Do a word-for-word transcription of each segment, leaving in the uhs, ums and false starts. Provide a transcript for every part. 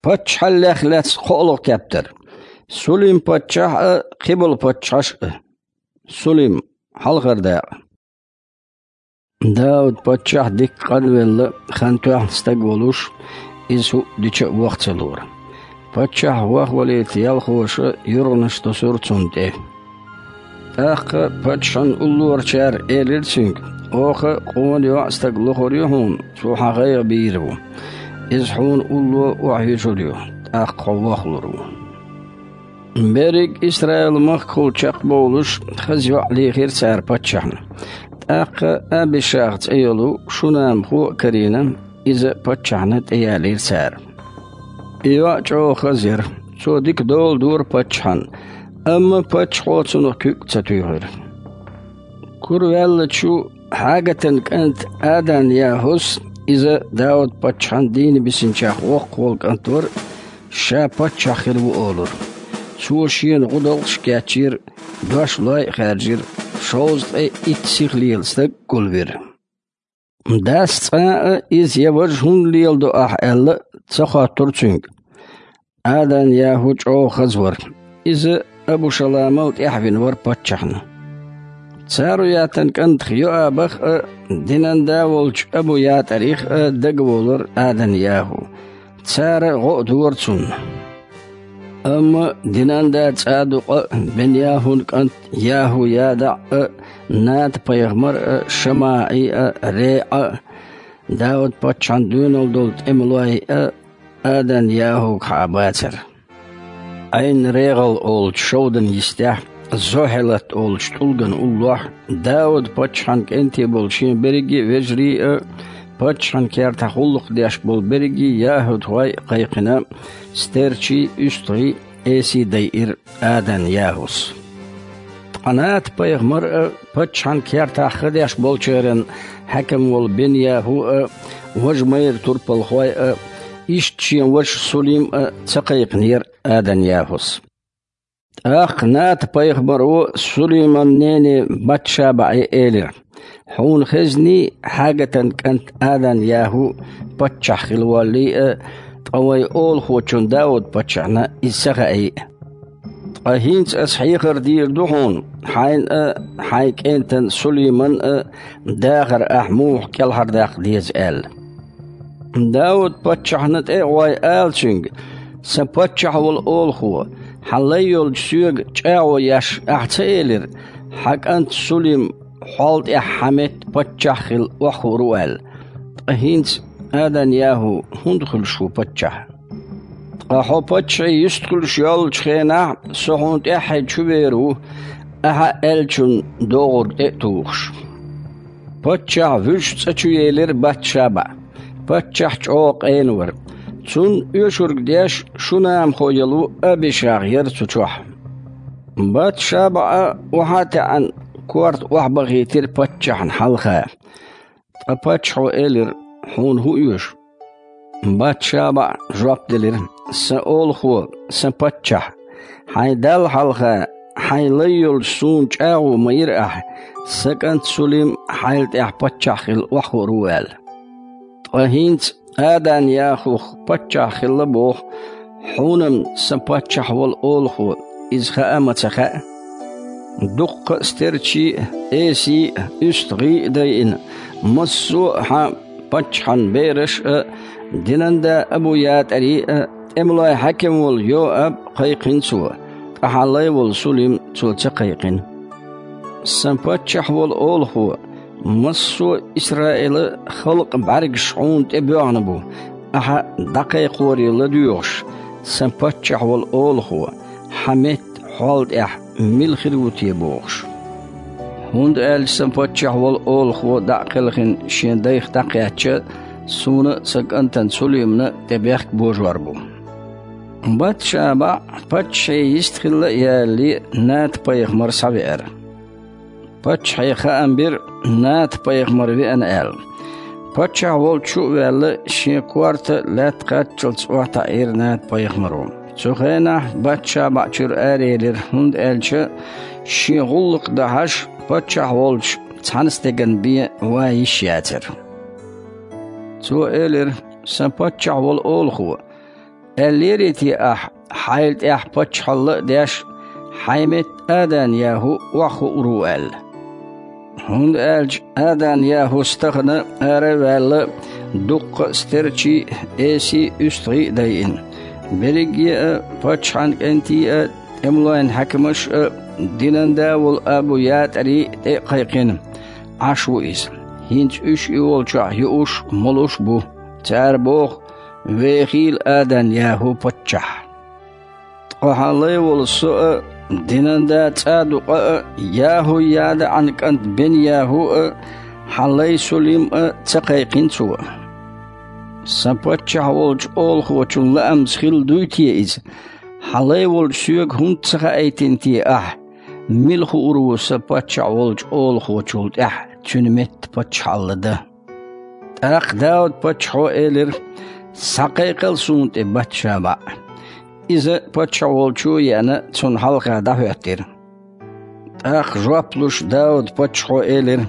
Паччахьаллех лаьцна кхоалгӀа тептар. Сулим-паччахь а, кхиболу паччахьаш а. Сулим, хьалхара дакъа. Дауд-паччахь дикка къанвелла, хан тоьхна стаг волуш, иза хӀуъа дича а ваха ца лора. Паччахь вахвалийта ялхоша юргӀанаш тосура цунна тӀе. ТӀаккха паччахьан уллорачара элира цуьнга: «Оха къона йоӀ стаг лохур ю хьуна, цо хьан гӀайгӀа бийр ву. Иза хьуна улло охьаюьжур ю, тӀаккха хьо вахлур ву». Берриг Исраил-махкахула чекхбовлуш, хаза йоӀ лийхира цара паччахьна. ТӀаккха Абишах цӀе йолу шунамхо а карийна, иза паччахьна тӀеялийра цара. И йоӀ чӀогӀа хаза яра, цо дика дола дора паччахьан, амма паччахьо цунах куьг а ца туьйхира. Кураваьллачу Хьагатан кӀант Адан-ЯхӀус, иза Дауд-паччахьан дийна бисинчех воккхах волу кӀант вара, ша паччахь хир ву олура. Цо шена гӀудалкхаш а кечйира, дош лой а хаьржира, шовзткъе итт сиха лела стаг а гулвира. Дас цкъа а иза я важа хӀунда леладо ахь аьлла а ца хоттура цуьнга. Адан-ЯхӀу чӀогӀа хаза вара. Иза Абушаламал тӀаьхьавина вара паччахьна. Царуятан кӀантах Йоабах а, динан да волчу Абу-ЯтӀарих а дагаволура Адан-ЯхӀу. Цара гӀо а дора цунна. Амма динан да ЦӀадукъа а, Бен-ЯхӀун кӀант ЯхӀу-ЯдаӀ а, Ната-пайхамар а, ШамаӀи а, РеӀа а, Дауд-паччахьан доьналла долу тӀемалой а Адан-ЯхӀуга хьаабацара. Ӏайн-РегӀал олучу шовдан йистехь, Зохьелат олучу тӀулган уллохь, Дауд-паччахьан кӀентий болу шен берриге а вежарий а, паччахьан кертахь гӀуллакх деш болу берриге а яхӀудхой а кхайкхина, стерчий а, уьстагӀий а эсий дайира Адан-ЯхӀус. Ткъа Ната-пайхамар а, паччахьан кертахь ха деш болчеран хьаькам волу Бен-ЯхӀу а, важа майра турпалхой а, иштта шен ваша Сулим а ца кхайкхинера Адан-ЯхӀус. ТӀаккха Ната-пайхамаро Сулиман нене Батшабаъе элира: «Хьуна хезний, Хьагатан кӀант Адан-ЯхӀу паччахь хила воллий а, ткъа вайн олахочун Дауд-паччахьна иза ца хаий а. Ткъа хӀинца аса хьехар дийр ду хьуна, хьайна а, хьайн кӀентан Сулиман а дахар ахь муха кӀелхьардаккха деза», — аьлла. Дауд-паччахьна тӀе а гӀой, ала цуьнга: «Сан паччахь волу олахо, хьан лай йолчу соьга чӀагӀо еш ахь ца элира, хьан кӀант Сулим хьол тӀехь хьан метта паччахь а хилла охьахуур ву аьлла? Ткъа хӀинца Адан-ЯхӀу хӀунда хуьлуш ву паччахь? Ткъа хьо паччахье йистхуьлуш йоллучу хенахь со хьуна тӀаьххье чувер ву, ахьа аьллачун догӀург тӀе а тухуш». Паччахь вуьжучу цӀа чу елира Батшаба. Паччахь чӀогӀа къена вара. Цунна оьшург деш шунамхо яло Абишах яра цу чохь. Батшаба а, охьа а таьӀна, корта охьабахийтира паччахьна хьалха. Ткъа паччахьо элира: «Хьуна хӀун оьшу?» Батшаба жоп делира: «Сан олахо, сан паччахь, хьайн Далла хьалха, хьайн лай йолчу суна чӀагӀо ма йира ахь, сан кӀант Сулим хьайл тӀехь паччахь хилла охьахуур ву аьлла. Ткъа хӀинца Адан-ЯхӀух паччахь хилла боху, хьуна-м сан паччахь волу олахо, иза хаа а ма ца хаьа. Дуккха а стерчий а, эсий а, уьстагӀий а дайина, массо а хьан паччахьан бераш а, динан да Абу-ЯтӀарий а, тӀемалой хьаькам волу Йоаб а кхайкхина цо, ткъа хьан лай волу Сулим цо ца кхайкхина. Сан паччахь волу олахо, массо а Исраилан халкъан бӀаьргаш хьуна тӀе боьгӀна бу, ахьа дӀакхайкхоре ладоьгӀуш, сан паччахь волу олахо, хьан метта хьол тӀехь мила хир ву те бохуш. ХӀунда аьлча сан паччахь волу олахо дӀа а кхелхина шен дайх дӀакхаьчча, суна а, сан кӀантана Сулимна а тӀе бехк божор бу». Батшаба паччахье йистхилла а ялале, Ната-пайхамар схьавеара. Паччахье хаам бира, Ната-пайхамар веана аьлла. Паччахь волчу а ваьлла, шен корта лаьтта кхаччалц охьатаӀийра Ната-пайхамаро. Цу хенахь Батшаба чуьра араелира, хӀунда аьлча шен гӀуллакх дахьаш, паччахь волчу цхьана стеган бен ван йиш яцара. Цо элира: «Сан паччахь волу олахо, аьллерий те ахь, хьайла тӀехь паччахьалла а деш, хьайн метта Адан-ЯхӀу охьахуур ву аьлла? ХӀунда аьлча Адан-ЯхӀус тахана ара а ваьлла, дуккха а стерчий а, эсий а, уьстагӀий а дайина. Берриге а, паччахьан кӀентий а, тӀемалойн хьаькамаш а, динан да волу Абу-ЯтӀари а тӀе а кхайкхина, Ӏаш ву иза. ХӀинца уьш и волчохь юуш а, молуш а бу. Цара боху: «Вехийла Адан-ЯхӀу паччахь». Ткъа хьан лай волу со а, динан да ЦӀадукъа а, ЯхӀу-ЯдаӀан кӀант Бен-ЯхӀу а, хьан лай Сулим а ца кхайкхина цо? Сан паччахь волчу олахочун лаамца хилла дуй те иза? Хьан лай волчу соьга хӀунда ца хаийтина те ахь, мила хуур ву сан паччахь волчу олахочул тӀаьхьа цуьнан метта паччахьалла дан? ТӀаккха Дауд-паччахьо элира: «Схьакхайкхал суна тӀе Бат-ШабаӀ». Иза паччахь волчу а еана, цунна хьалха дӀахӀоьттира. ТӀаккха жоп луш Дауд-паччахьо элира: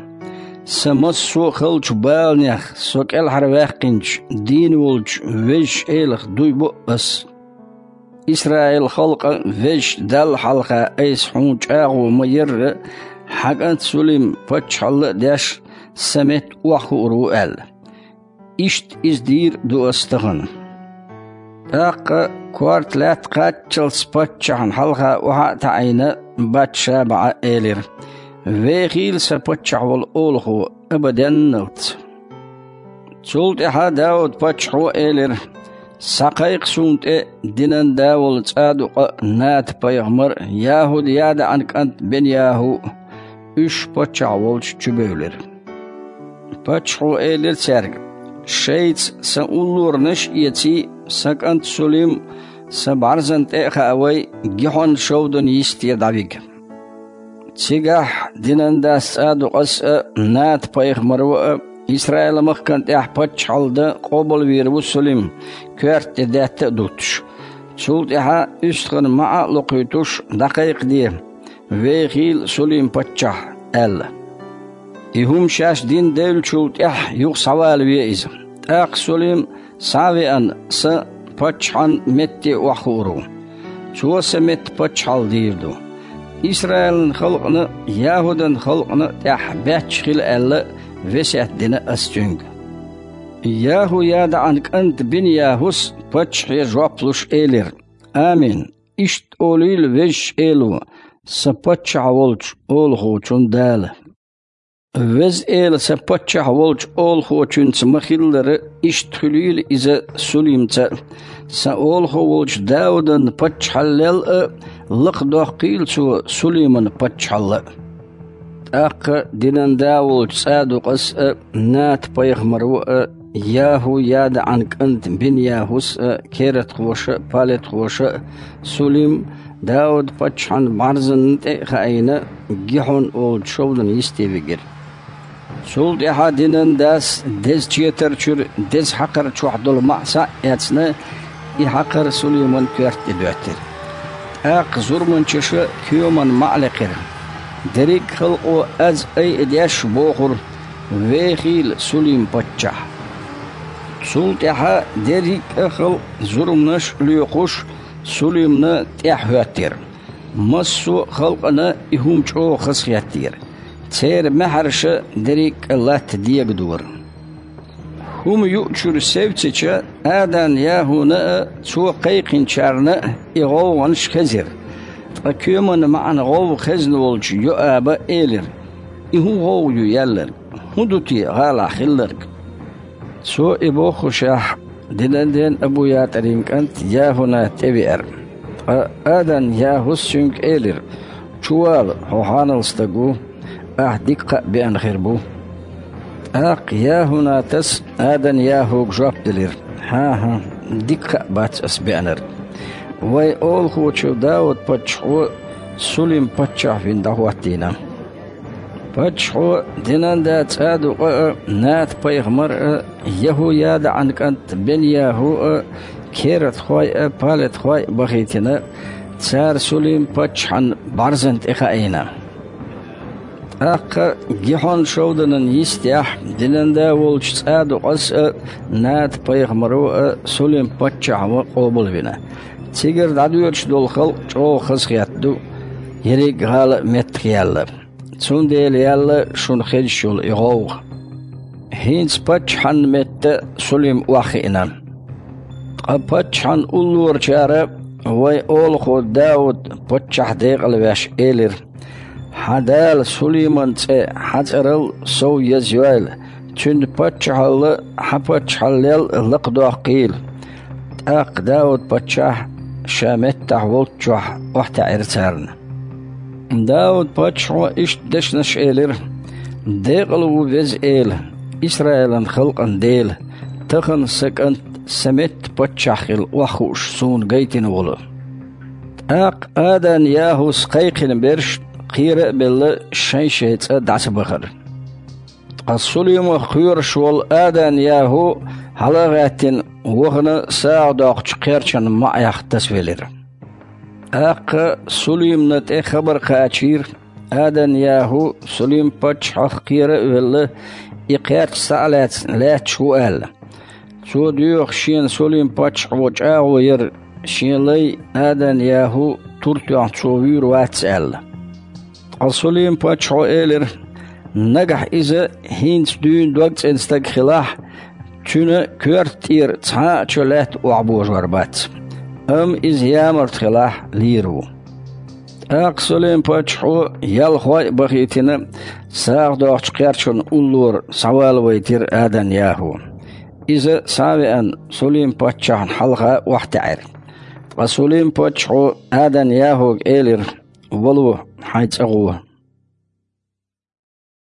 «Сан массо а халчу баланех со кӀелхьарваьккхинчу дийна волчу Везачу Элах дуй бо ас. Исраил-халкъан Везачу Далла хьалха айса хьуна чӀагӀо ма-ярра, хьан кӀант Сулим паччахьалла а деш, сан метта охьахуур ву аьлла». Иштта иза дийр а ду ас тахана. ТӀаккха, корта лаьтта кхаччалц паччахьна хьалха охьа а таӀийна, Бат-ШабаӀа элира: «Вехийла сан паччахь волу олахо абаденналц». Цул тӀаьхьа Дауд-паччахьо элира: «Схьакхайкха суна тӀе динан да волу ЦӀадукъа а, Ната-пайхамар а, ЯхӀу-ЯдаӀан кӀант Бен-ЯхӀу а». Уьш паччахь волчу чубевлира. Паччахьо элира цаьрга: «Шайца сан уллоранаш а эций, сан кӀант Сулим сан бӀаьрзана тӀе а хаавай, Гихьон-шовданан йисте дӀавига. Цигахь динан дас ЦӀадукъас а, Ната-пайхамаро а Исраил-махкана тӀехь паччахьалла дан къобалвийр ву Сулим, коьрта тӀе даьтта а дуттуш. Цул тӀаьхьа уьстагӀан маӀа а локхуьйтуш, дӀакхайкхаде: „Вехийла Сулим-паччахь“, – аьлла. И хӀума шаьш дина девллачул тӀаьхьа юха схьавалаве иза. ТӀаккха Сулим схьа а веана, сан паччахьан метте охьахуур ву. Цо сан метта паччахьалла дийр ду. Исраилан халкъана а, ЯхӀудан халкъана а тӀехь баьчча хила аьлла, весет дина ас цуьнга“». ЯхӀу-ЯдаӀан кӀанта Бин-ЯхӀус паччахье жоп луш элира: «Амин! Иштта олийла Везачу Эло, сан паччахь волчу олахочун Дала. Веза Эла сан паччахь волчу олахочуьнца ма-хиллара, иштта хуьлийла иза Сулимца а. Сан олахо волчу Даудан паччахьаллел а лакхадоккхийла цо Сулиман паччахьалла а». ТӀаккха динан да волчу ЦӀадукъас а, Ната-пайхамаро а, ЯхӀу-ЯдаӀан кӀанта Бин-ЯхӀус а, кератхоша а, палатхоша а, Сулим Дауд-паччахьан бӀаьрзанна тӀе а хаийна, Гихьон олучу шовданан йисте вигира. Цул тӀаьхьа динан дас деза четар чуьра деза хьакхар чохь долу маӀа схьа а эцна, и хьакхар Сулиман коьрта тӀе доьттира. ТӀаккха зурманчаша коьман маӀа лекхира. Дерриг а халкъо аз айа деш бохура: «Вехийла Сулим-паччахь!» Цул тӀаьхьа дерриг а халкъ зурманаш а лоькхуш, Сулимна тӀаьхьахӀоьттира. Массо а халкъана и хӀума чӀогӀа хазахеттера. Церан маьхьарша дерриг а латта дегадора. ХӀума юучуьра севцича, Адан-ЯхӀуна а, цо кхайкхинчарна а и гӀовгӀанаш хезира. Ткъа коьман маӀан гӀовгӀа хезна волчу Йоаба элира: «И хӀун гӀовгӀа ю яьлларг? ХӀун ду те гӀалахь хилларг?» Цо и бохушехь, динан ден Абу-ЯтӀарин кӀант ЯхӀунат тӀевеара. Ткъа Адан-ЯхӀус цуьнга элира: «Чувала, хьо хьанал стаг ву, ахь дика кхаъ беана хир бу». ТӀаккха ЯхӀунатас Адан-ЯхӀуга жоп делира: «ХӀан-хӀа, дика кхаъ бац ас беанарг. Вайн олахочо Дауд-паччахьо Сулим-паччахь вина дӀахӀоттийна». Паччахьо динан да ЦӀадукъа а, Ната-пайхамар а, ЯхӀу-ЯдаӀан кӀант Бен-ЯхӀу а, кератхой а, палатхой а бахийтина, цара Сулим-паччахьан бӀаьрзана тӀе хаийна. ТӀаккха Гихьон-шовданан йистехь, динан да волчу ЦӀадукъас а, Ната-пайхамаро а Сулим-паччахьо къобалвина. Цигара дӀадоьдуш долу халкъ чӀогӀа хазахетта ду, ерриг гӀала а меттахъяьлла. Цундела яьлла шуна хезаш йолу и гӀовгӀа. ХӀинца паччахьан метта Сулим охьахиъна. Ткъа паччахьан уллорачара вайн олахо Дауд-паччахь декъалвеш элира: «Хьан Дала Сулиман цӀе хьан цӀерал сов еза йойла, цуьнан паччахьалла хьан паччахьаллел лакхадоккхийла». ТӀаккха Дауд-паччахь ша меттахь волччохь охьатаьӀира царна. Дауд-паччахьо иштта дешнаш элира: «Декъала ву Веза Эла, Исраилан халкъан Дела, тахана сан кӀант сан метта паччахь хила охьахууш суна гайтина волу». ТӀаккха Адан-ЯхӀус кхайкхина берш кхера а белла, шайн-шайн цӀа дӀасабахара. Ткъа Сулимах кхоьруш волу Адан-ЯхӀу, хьала а гӀаьттина, вахана сагӀа доккхучу кхерчан маӀех тасавелира. ТӀаккха Сулимна тӀе хабар кхачийра, Адан-ЯхӀу Сулим-паччахьах кхера а велла, и кхерч схьа а лаьцна лаьтташ ву аьлла. Цо доьху шена Сулим-паччахьо чӀагӀо яр, шен лай Адан-ЯхӀу тур тоьхна цо вуьйр вац аьлла. Ткъа Сулим-паччахьо элира: «Нагахь иза хӀинца дуьйна догцӀена стаг хилахь, цуьнан коьрта тӀера цхьа а чо лаьтта охьабожор бац. Амма иза ямарта хилахь, лийр ву». ТӀаккха Сулим-паччахьо, ялхой а бахийтина, сагӀа доккхучу кхерчан уллора схьавалавайтира Адан-ЯхӀу. Иза, схьа а веана, Сулим-паччахьна хьалха охьатаьӀира. Ткъа Сулим-паччахьо Адан-ЯхӀуга элира: «Вало, хьайн цӀа гӀо».